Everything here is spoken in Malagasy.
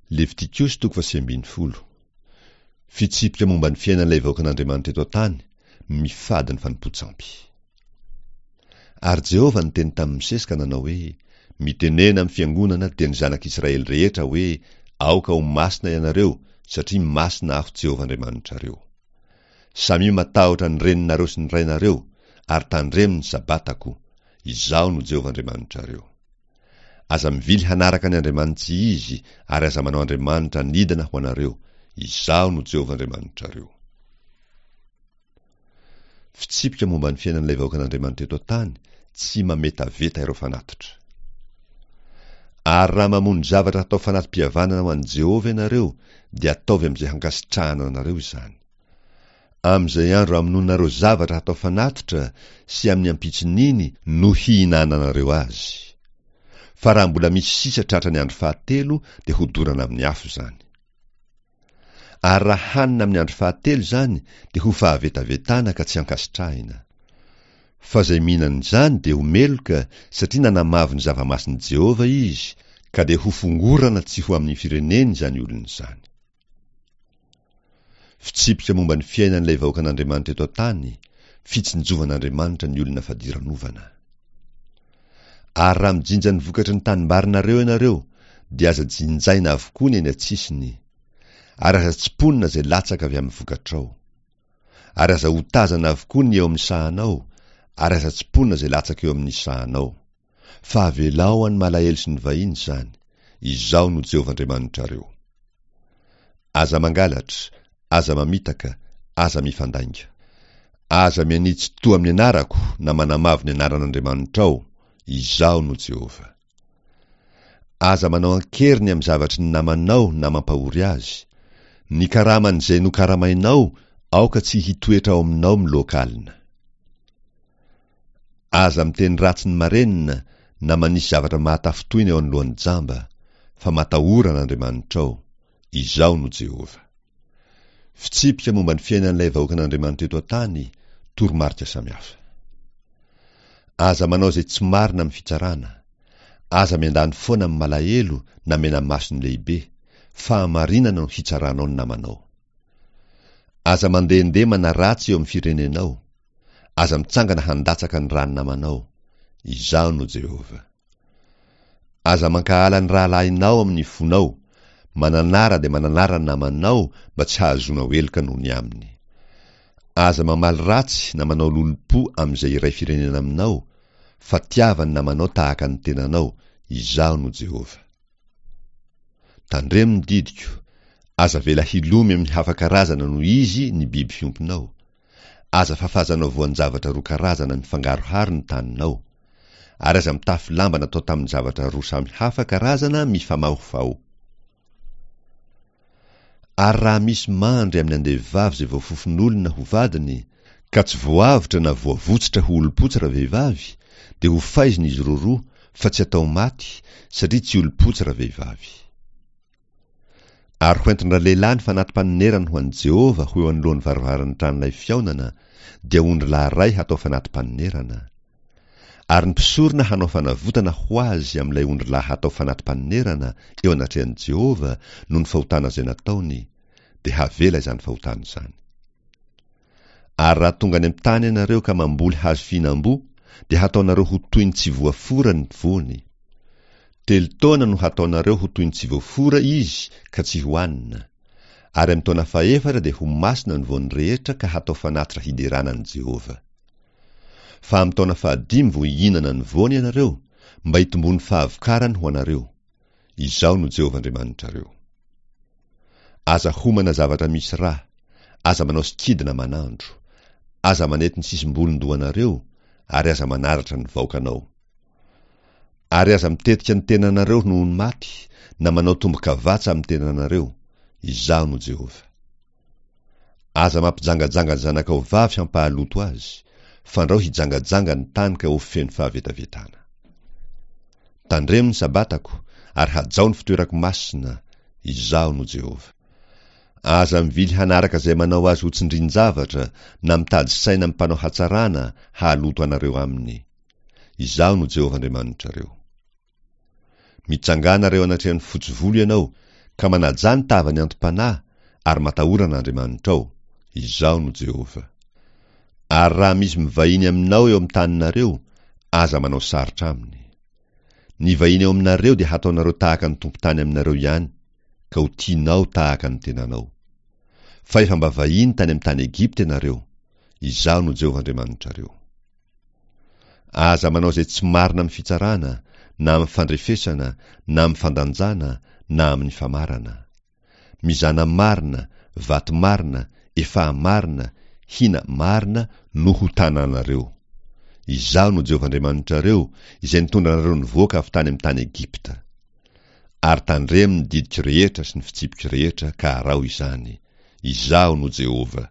Levitikosy toko faha-19. Fitsipika momba ny fiainan'ilay vahoakan'Andriamanitra eto an-tany, mifady ny fanompoan-tsampy. Ary Jehovah niteny tamin'i Mosesy ka nanao hoe, Mitenena amin'ny fiangonana, dia ny zanak'Israely rehetra, hoe, Aoka ho masina ianareo, satria masina Aho Jehovah Andriamanitrareo. Samia matahotra ny reninareo sy ny rainareo, ary tandremo ny Sabatako. Izaho no Jehovah Andriamanitrareo. Aza mivily hanaraka ny andriamani-tsy izy, ary aza manao andriamanitra anidina ho anareo. Izaho no Jehovah Andriamanitrareo. Fitsipika momba ny fiainan'ilay vahoakan'Andriamanitra eto an-tany, tsy mametaveta ireo fanatitra. Ary raha mamono zavatra hatao fanati-pihavanana ho an'i Jehovah ianareo, dia ataovy amin'izay hankasitrahana anareo izany. Amin'izay andro hamonoanareo zavatra hatao fanatitra sy amin'ny ampitson'iny no hihinananareo azy. Fa raha mbola misy sisa tratra ny andro fahatelo dia hodorana amin'ny afo izany. Ary raha hanina amin'ny andro fahatelo izany dia ho fahavetavetana ka tsy hankasitrahina. Fa izay mihinana izany dia ho meloka satria nanamavo ny zava-masin'i Jehovah izy, ka dia hofongorana tsy ho amin'ny fireneny izany olona izany. Fitsipika momba ny fiainan'ilay vahoakan'Andriamanitra eto an-tany, fitsinjovan'Andriamanitra ny olona fadiranovana. Ary raha mijinja ny vokatry ny tanimbarinareo ianareo, dia aza jinjaina avokoa ny eny an-tsisiny, ary aza tsimponina izay latsaka avy amin'ny vokatrao. Ary aza otazana avokoa ny eo amin'ny sahanao, ary aza tsimponina izay latsaka eo amin'ny sahanao. Fa avelao an'ny malahelo sy ny vahiny izany. Izaho no Jehovah Andriamanitrareo. Aza mangalatra, aza mamitaka, aza mifandainga. Aza mianitsy toa amin'ny anarako na manamavo ny anaran'Andriamanitrao. Izaho no Jehovah. Aza manao an-keriny amin'ny zavatry ny namanao na mampahory azy. Ny karaman'izay nokaramainao aoka tsy hitoetra ao aminao miloaka alina. Aza miteny ratsy ny marenina na manisy zavatra mahatafintohina eo anoloan'ny jamba, fa matahora an'Andriamanitrao. Izaho no Jehovah. Fitsipika momba ny fiainan'ilay vahoakan'Andriamanitra eto an-tany, toromarika samihafa. Aza manao izay tsy marina amin'ny fitsarana. Aza miandany foana amin'ny malahelo na mena-maso ny lehibe. Fahamarinana no hitsaranao ny namanao. Aza mandehandeha manaratsy eo amin'ny firenenao. Aza mitsangana handatsaka ny ràn'ny namanao. Izaho no Jehovah. Aza mankahala ny rahalahinao amin'ny fonao. Mananara dia mananara ny namanao mba tsy hahazoanao heloka noho ny aminy. Aza mamaly ratsy na manao lolompo amin'izay iray firenena aminao, fa tiava ny namanao tahaka ny tenanao. Izaho no Jehovah. Tandremo ny didiko, aza avela hilomy amin'ny hafa karazana noho izy ny biby fiompinao. Aza fafazanao voan-javatra roa karazana mifangaroharo ny taninao. Ary aza mitafy lamba natao tamin'ny zavatra roa samy hafa karazana mifamahofaho. Ary raha misy mandry amin'ny andevovavy izay voafofon'olona ho vadiny, ka tsy voavotra na voavotsitra ho olom-potsy ravehivavy, dia ho faizina izy roroa, fa tsy atao maty, satria tsy olom-potsy ravehivavy. Ary hoentin-dralehilahy ny fanati-panonerany ho an'i Jehovah ho eo anoloan'ny varavaran'ny tranolay fihaonana, dia ondrilahy iray hatao fanati-panonerana. Ary ny mpisorona hanao fanavotana ho azy amin'ilay ondrilahy hatao fanati-panonerana eo anatrehan'i Jehovah noho ny fahotana izay nataony, dia havela izany fahotana izany. Ary raha tonga any amin'ny tany ianareo ka mamboly hazo fihinam-boa, dia hataonareo ho toy ny tsy voafora ny voany. Telo taona no hataonareo ho toy ny tsy voafora izy ka tsy hohanina. Ary amin'ny taona fahefatra dia ho masina ny voany rehetra ka hatao fanatitra hiderana an'i Jehovah. Fa amin'ny taona fahadimy vao hihinana ny voany ianareo, mba hitomboan'ny fahavokarany ho anareo. Izaho no Jehovah Andriamanitrareo. Aza homana zavatra misy rà, aza manao sikidy na manandro, aza manety ny sisim-bolon-dohanareo, ary aza manaratra ny vaokanao. Ary aza mitetika ny tenanareo noho ny maty, na manao tombo-kavatsa amin'ny tenanareo. Izaho no Jehovah. Aza mampijangajanga ny zanakao vavy hampahaloto azy, fandrao hijangajanga ny tany ka ho feno fahavetavetana. Tandremo ny Sabatako, ary hajao ny fitoerako masina, Izaho no Jehovah. Aza mivily hanaraka izay manao azy ho tsindrin-javatra, na mitady saina amin'ny mpanao hatsarana hahaloto anareo aminy. Izaho no Jehovah Andriamanitrareo. Mitsangàna eo anatrehan'ny fotsy volo ianao, Ka manajà ny tavan'ny anti-panahy ary matahora an'Andriamanitrao. Izaho no Jehovah. Ary raha misy mivahiny aminao eo amin'ny taninareo, aza manao sarotra aminy. Ny vahiny eo aminareo dia hataonareo tahaka ny tompon-tany aminareo ihany, ka ho tianao tahaka ny tenanao. Fa efa mba vahiny tany amin'ny tany Egypta ianareo. Izaho no Jehovah Andriamanitrareo. Aza manao izay tsy marina amin'ny fitsarana, na amin'ny fandrefesana, na amin'ny fandanjana, na amin'ny famarana. Mizana marina, vato marina, efaha marina, hina marina no ho tananareo. Izaho no Jehovah Andriamanitrareo, izay nitondra anareo nivoaka avy tany amin'ny tany Egypta. Ary tandremo ny didiko rehetra sy ny fitsipiko rehetra ka araho izany. Izaho no Jehovah.